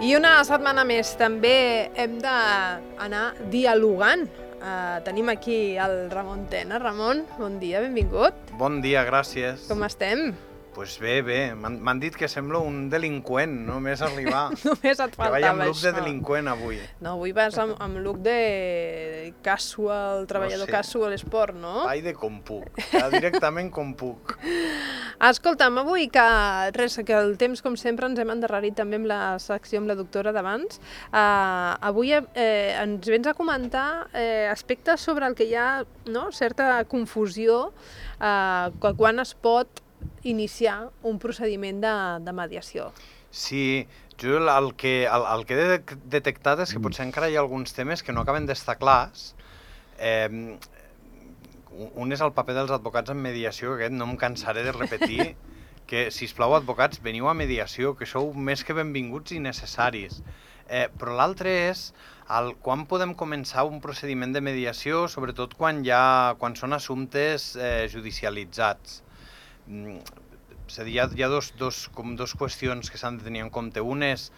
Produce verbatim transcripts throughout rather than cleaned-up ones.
I una setmana més també hem d'anar dialogant. Uh, tenim aquí el Ramon Tena. Ramon, bon dia, benvingut. Bon dia, gràcies. Com estem? Doncs pues bé, bé. M'han dit que sembla un delinqüent, només arribar. Només et faltava això. Que vaig amb look això. de delinqüent avui. No, avui vas amb, amb look de casual, treballador no sé. Casual esport, no? Ai, de com puc. Ja directament com puc. Escolta'm, avui que res, que el temps, com sempre, ens hem endarrerit també amb la secció amb la doctora d'abans. Uh, avui eh, ens vens a comentar eh, aspectes sobre el que hi ha, no?, certa confusió uh, que quan es pot iniciar un procediment de, de mediació. Sí, jo el que, el, el que he detectat és que potser encara hi ha alguns temes que no acaben d'estar clars. Eh, un és el paper dels advocats en mediació, que aquest no em cansaré de repetir, que, sisplau, advocats, veniu a mediació, que sou més que benvinguts i necessaris. Eh, però l'altre és el, quan podem començar un procediment de mediació, sobretot quan, hi ha, quan són assumptes eh, judicialitzats. Mm, és a dir, hi ha, hi ha dos, dos, com dos qüestions que s'han de tenir en compte. Un és,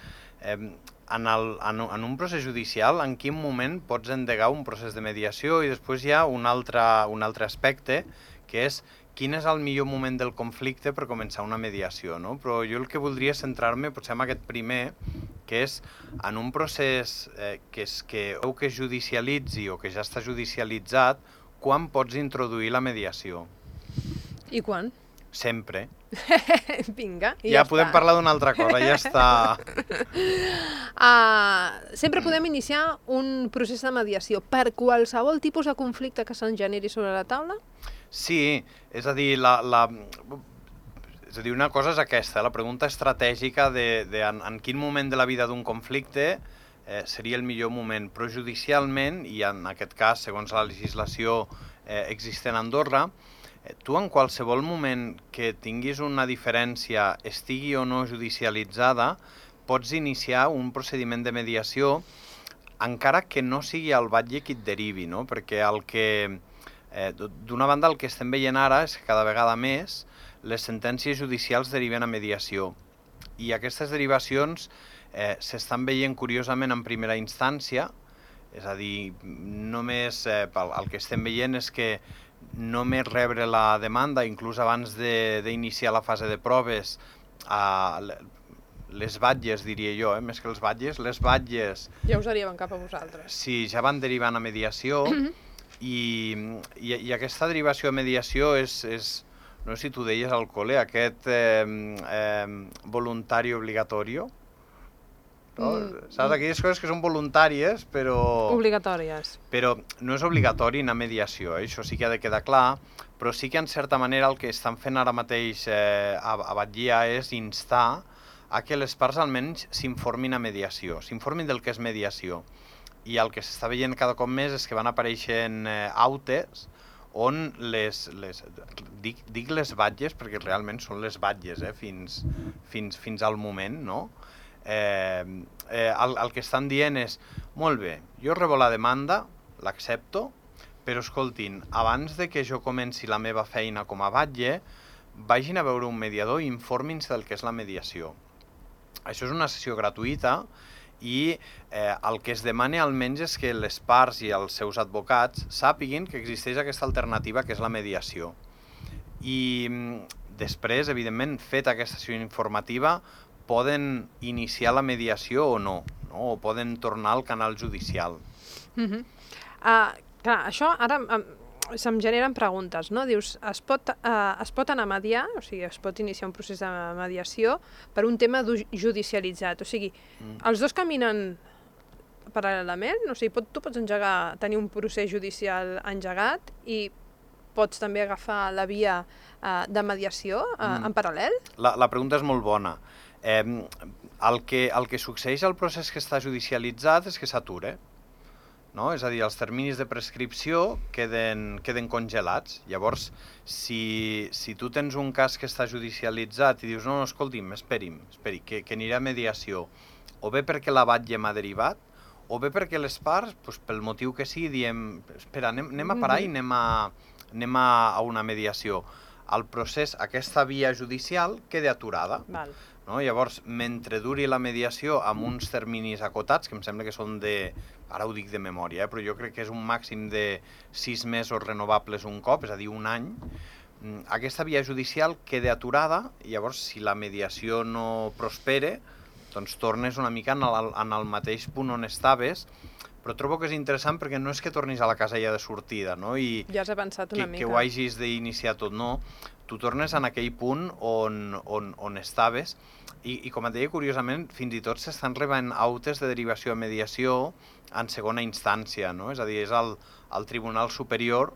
eh, en, el, en, en un procés judicial, en quin moment pots endegar un procés de mediació, i després hi ha un altre, un altre aspecte, que és quin és el millor moment del conflicte per començar una mediació, no? Però jo el que voldria centrar-me potser en aquest primer, que és en un procés eh, que, és, que, o que es judicialitzi o que ja està judicialitzat, quan pots introduir la mediació? I quan? Sempre. Vinga, i ja, ja podem està. parlar d'una altra cosa, ja està. Uh, sempre podem iniciar un procés de mediació per qualsevol tipus de conflicte que se'n generi sobre la taula? Sí, és a dir, la, la, és a dir, una cosa és aquesta, la pregunta estratègica de, de en, en quin moment de la vida d'un conflicte eh, seria el millor moment, però judicialment, i en aquest cas, segons la legislació eh, existent a Andorra, tu en qualsevol moment que tinguis una diferència, estigui o no judicialitzada, pots iniciar un procediment de mediació encara que no sigui el batlle qui et derivi, no? Perquè el que, eh, d'una banda el que estem veient ara és que cada vegada més les sentències judicials deriven a mediació, i aquestes derivacions eh, s'estan veient curiosament en primera instància, és a dir, només eh, el, el que estem veient és que només rebre la demanda, inclús abans d'iniciar la fase de proves, a les batlles, diria jo, eh? Més que els batlles, les batlles... Ja us arriben cap a vosaltres. Sí, ja van derivant a mediació, i, i, i aquesta derivació a mediació és, és, no sé si tu deies al col·le, aquest eh, eh, voluntari obligatori. No? Mm. Saps? Aquelles coses que són voluntàries, però... Obligatòries. Però no és obligatori anar a mediació, eh? Això sí que ha de quedar clar, però sí que en certa manera el que estan fent ara mateix eh, a, a Batllia és instar a que les parts almenys s'informin a mediació, s'informin del que és mediació. I el que s'està veient cada cop més és que van apareixent eh, autes on les, les dic, dic les batlles perquè realment són les batlles, eh? fins, fins, fins al moment, no? Eh, eh, el, el que estan dient és, molt bé, jo rebo la demanda, l'accepto, però escoltin, abans de que jo comenci la meva feina com a batlle, vagin a veure un mediador i informin-se del que és la mediació. Això és una sessió gratuïta i eh, el que es demana almenys és que les parts i els seus advocats sàpiguin que existeix aquesta alternativa que és la mediació. I després, evidentment, feta aquesta sessió informativa, poden iniciar la mediació o no, no? O poden tornar al canal judicial. Uh -huh. uh, clar, això ara um, se'm generen preguntes, no? Dius, es pot, uh, es pot anar a mediar, o sigui, es pot iniciar un procés de mediació per un tema judicialitzat, o sigui, mm. els dos caminen paral·lelament, o sigui, pot, tu pots engegar, tenir un procés judicial engegat i pots també agafar la via uh, de mediació uh, mm. en paral·lel? La, la pregunta és molt bona. Eh, el, que, el que succeeix al procés que està judicialitzat és que s'atura, no? És a dir, els terminis de prescripció queden, queden congelats. Llavors, si, si tu tens un cas que està judicialitzat i dius, no, no, escolti'm, esperi'm, esperi, que, que anirà a mediació, o bé perquè la batlle m'ha derivat, o bé perquè les parts, doncs, pel motiu que sigui, diem, espera, anem, anem a parar i anem a, anem a, a una mediació. el procés, aquesta via judicial, quedi aturada. Val. No? Llavors, mentre duri la mediació amb uns terminis acotats, que em sembla que són de, ara ho dic de memòria, eh, però jo crec que és un màxim de sis mesos renovables un cop, és a dir, un any, aquesta via judicial queda aturada, i llavors, si la mediació no prospere, doncs tornes una mica en el, en el mateix punt on estaves, però trobo que és interessant perquè no és que tornis a la casella de sortida, no? I ja has avançat una que, mica. Que ho hagis d'iniciar tot, no. Tu tornes en aquell punt on, on, on estaves, i, i com et deia, curiosament, fins i tot s'estan rebent autes de derivació a mediació en segona instància, no? És a dir, és el, el Tribunal Superior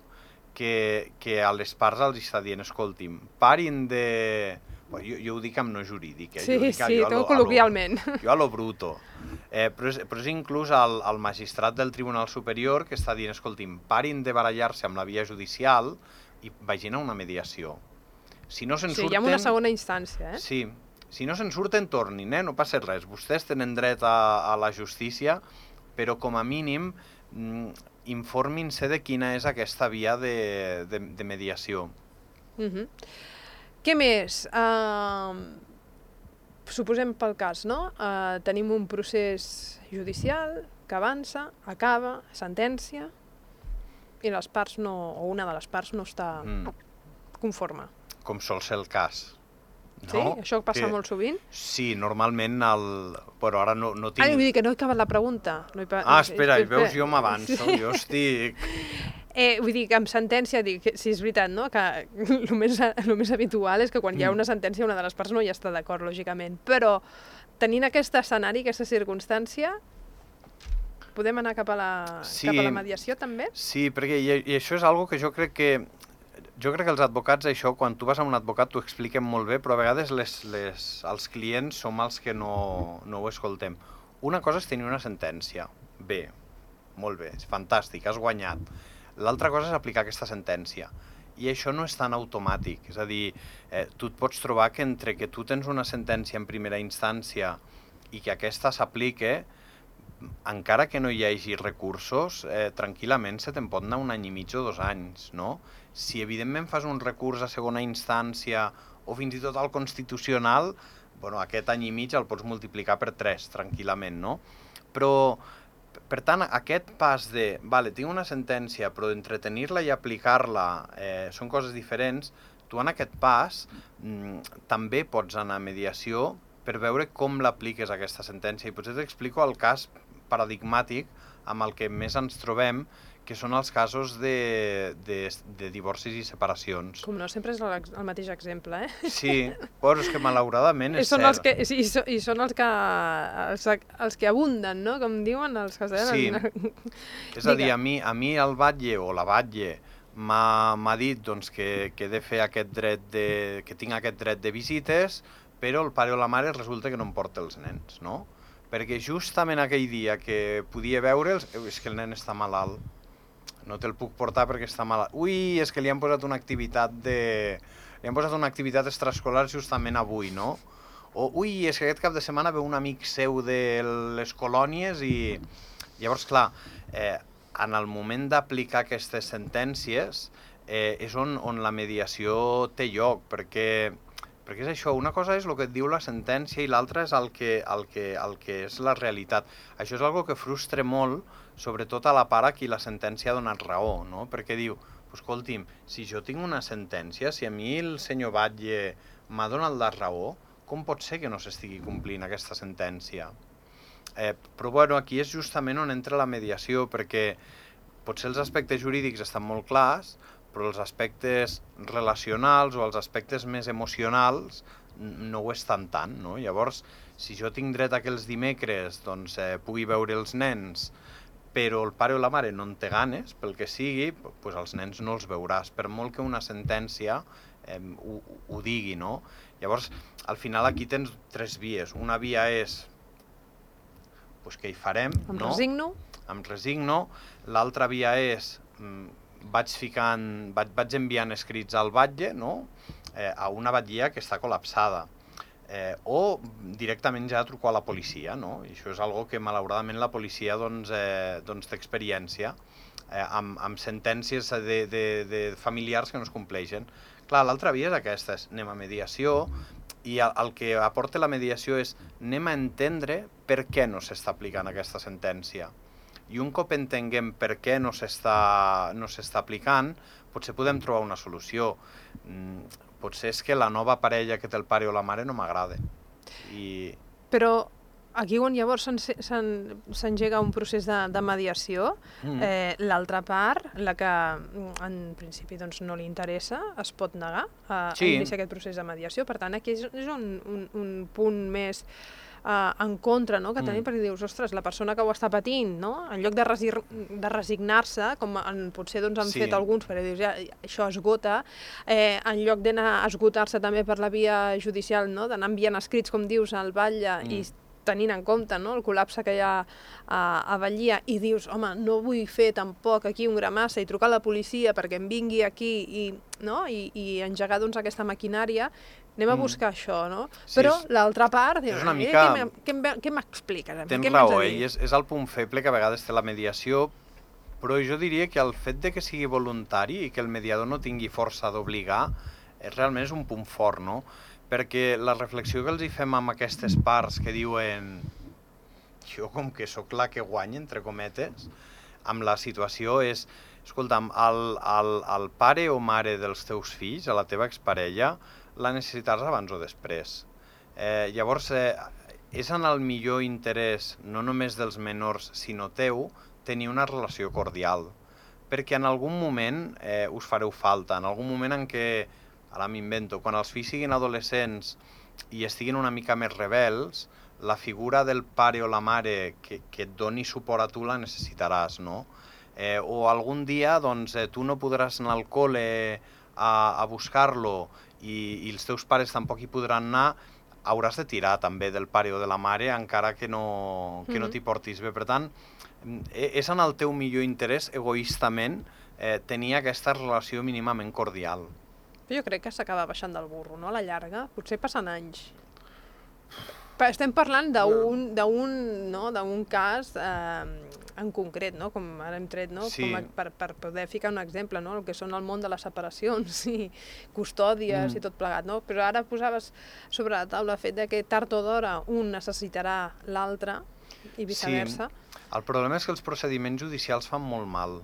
que, que a les parts els està dient, escolti'm, parin de... Bueno, jo, jo ho dic amb no jurídic, eh? Sí, jo dic, sí, jo tot col·loquialment. A lo, jo a lo bruto. Eh, però, és, però és inclús el, el magistrat del Tribunal Superior que està dient, escolti'm, parin de barallar-se amb la via judicial i vagin a una mediació. Si no se'n sí, surten... hi ha una segona instància, eh? Sí, si no se'n surten, tornin, eh? No passa res. Vostès tenen dret a, a la justícia, però com a mínim informin-se de quina és aquesta via de, de, de mediació. Uh-huh. Què més? Uh, suposem pel cas, no? Uh, tenim un procés judicial que avança, acaba, sentència, i les parts no, o una de les parts no està mm. conforme. Com sol ser el cas. No? Sí? Això passa que... molt sovint? Sí, normalment, el... però ara no, no tinc... Ah, vull dir que no he acabat la pregunta. No he... Ah, espera, espera, veus, jo m'avanço, sí. Jo estic... Eh, vull dir que amb sentència, dic, sí, és veritat, no? Que el més, el més habitual és que quan hi ha una sentència una de les parts no hi està d'acord, lògicament. Però tenint aquest escenari, aquesta circumstància, podem anar cap a la, sí, cap a la mediació també? Sí, perquè i, i això és algo que jo crec que jo crec que els advocats, això, quan tu vas a un advocat t'ho expliquen molt bé, però a vegades les, les, els clients som els que no, no ho escoltem. Una cosa és tenir una sentència. Bé, molt bé, és fantàstic, has guanyat. L'altra cosa és aplicar aquesta sentència. I això no és tan automàtic. És a dir, eh, tu et pots trobar que entre que tu tens una sentència en primera instància i que aquesta s'aplique, encara que no hi hagi recursos, eh, tranquil·lament se te'n pot anar un any i mig o dos anys, no? Si evidentment fas un recurs a segona instància o fins i tot al Constitucional, bueno, aquest any i mig el pots multiplicar per tres, tranquil·lament, no? Però, per tant, aquest pas de, vale, tinc una sentència, però d'entretenir-la i aplicar-la eh, són coses diferents, tu en aquest pas mm, també pots anar a mediació per veure com l'apliques aquesta sentència. I potser t'explico el cas paradigmàtic amb el que més ens trobem, que són els casos de, de, de divorcis i separacions. Com no, sempre és el, el mateix exemple, eh? Sí, però és que malauradament és són cert. Els que, sí, i, so, I són els que, els, els que abunden, no? Com diuen els que... Sí, és a dir, a mi, a mi el batlle o la batlle m'ha dit doncs, que, que he de fer aquest dret de, que tinc aquest dret de visites, però el pare o la mare resulta que no em porta els nens, no? Perquè justament aquell dia que podia veure'ls, és que el nen està malalt, no te'l puc portar perquè està malalt. Ui, és que li han posat una activitat de... li han posat una activitat extraescolar justament avui, no? O, ui, és que aquest cap de setmana ve un amic seu de les colònies i... Llavors, clar, eh, en el moment d'aplicar aquestes sentències eh, és on, on la mediació té lloc, perquè... Perquè és això, una cosa és el que et diu la sentència i l'altra és el que, el, que, el que és la realitat. Això és algo que frustra molt, sobretot a la part a qui la sentència ha donat raó, no? Perquè diu, escolti'm, si jo tinc una sentència, si a mi el senyor batlle m'ha donat la raó, com pot ser que no s'estigui complint aquesta sentència? Eh, però bueno, aquí és justament on entra la mediació, perquè potser els aspectes jurídics estan molt clars, però els aspectes relacionals o els aspectes més emocionals no ho estan tant, no? Llavors, si jo tinc dret a que els dimecres doncs, eh, pugui veure els nens, però el pare o la mare no en té ganes, pel que sigui, doncs els nens no els veuràs, per molt que una sentència eh, ho, ho digui, no? Llavors, al final aquí tens tres vies. Una via és doncs, què hi farem, em no? resigno. Em resigno. L'altra via és... Mm, vaig ficant, vaig, vaig enviant escrits al batlle, no? eh, a una batllia que està col·lapsada. Eh, o directament ja truco a la policia, no? I això és algo que malauradament la policia doncs, eh, doncs té experiència eh, amb, amb sentències de, de, de familiars que no es compleixen. Clar, l'altra via és aquesta, és anem a mediació, i el, el que aporta la mediació és anem a entendre per què no s'està aplicant aquesta sentència. I un cop entenguem per què no s'està no s'està aplicant, potser podem trobar una solució. Mm, potser és que la nova parella que té el pare o la mare no m'agrada. I... Però aquí on llavors s'engega un procés de, de mediació, mm. eh, l'altra part, la que en principi doncs, no li interessa, es pot negar a, sí. a iniciar aquest procés de mediació. Per tant, aquí és, és un, un, un punt més Uh, en contra, no? Que tenim, mm. perquè dius, ostres, la persona que ho està patint, no? En lloc de, resi de resignar-se, com en, potser doncs, han sí. fet alguns, perquè dius, ja, això esgota, eh, en lloc d'anar a esgotar-se també per la via judicial, no? D'anar enviant escrits, com dius, al batlle mm. i tenint en compte, no? El col·lapse que hi ha a, a Batllia, i dius, home, no vull fer tampoc aquí un gramassa i trucar a la policia perquè em vingui aquí i, no? I, i engegar doncs, aquesta maquinària. Anem a buscar mm. això, no? Sí, però l'altra part, diu, és una mica... què m'expliques? Tens raó, eh? És, és el punt feble que a vegades té la mediació, però jo diria que el fet de que sigui voluntari i que el mediador no tingui força d'obligar, realment és un punt fort, no? Perquè la reflexió que els hi fem amb aquestes parts que diuen jo com que sóc la que guanya, entre cometes, amb la situació és, escolta'm, el, el, el pare o mare dels teus fills, a la teva exparella, la necessitaràs abans o després. Eh, llavors, eh, és en el millor interès, no només dels menors, sinó teu, tenir una relació cordial. Perquè en algun moment eh, us fareu falta, en algun moment en què, ara m'invento, quan els fills siguin adolescents i estiguin una mica més rebels, la figura del pare o la mare que, que et doni suport a tu la necessitaràs, no? Eh, o algun dia doncs, eh, tu no podràs anar al col·le a, a buscar-lo i, i els teus pares tampoc hi podran anar, hauràs de tirar també del pare o de la mare encara que no, que no t'hi portis bé. Per tant, és en el teu millor interès, egoistament, eh, tenir aquesta relació mínimament cordial. Jo crec que s'acaba baixant del burro, no? A la llarga, potser passen anys. Estem parlant d'un no? d'un cas eh, en concret, no? Com ara hem tret, no? Sí. Com a, per, per poder ficar un exemple, no? El que són el món de les separacions i custòdies mm. i tot plegat, no? Però ara posaves sobre la taula el fet de que tard o d'hora un necessitarà l'altre i viceversa. Sí. El problema és que els procediments judicials fan molt mal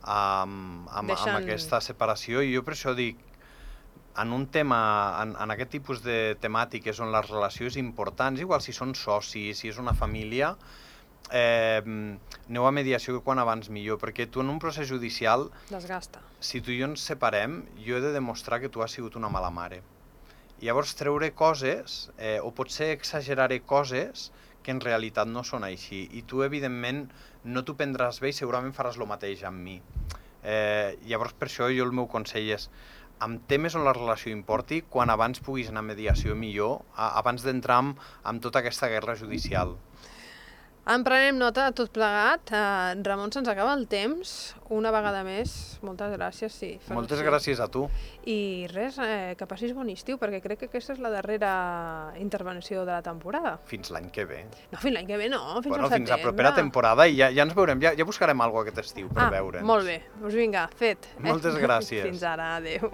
amb, amb, Deixant... amb aquesta separació, i jo per això dic, en un tema, en, en aquest tipus de temàtiques on la relació és important, igual si són socis, si és una família, eh, aneu a mediació que quan abans millor, perquè tu en un procés judicial, desgasta. Si tu i jo ens separem, jo he de demostrar que tu has sigut una mala mare. I llavors treure coses, eh, o potser exageraré coses que en realitat no són així, i tu evidentment no t'ho prendràs bé i segurament faràs el mateix amb mi. Eh, llavors per això jo el meu consell és, amb temes on la relació importi, quan abans puguis anar a mediació millor, abans d'entrar amb, amb tota aquesta guerra judicial. En prenem nota de tot plegat. Uh, Ramon, se'ns acaba el temps. Una vegada més, moltes gràcies. Sí, moltes gràcies a tu. I res, eh, que passis bon estiu, perquè crec que aquesta és la darrera intervenció de la temporada. Fins l'any que ve. No, fins l'any que ve no, fins bueno, al setembre. Fins la propera temporada i ja, ja ens veurem, ja, ja buscarem alguna cosa aquest estiu per ah, veure'ns. Molt bé, doncs vinga, fet. Moltes gràcies. Fins ara, adeu.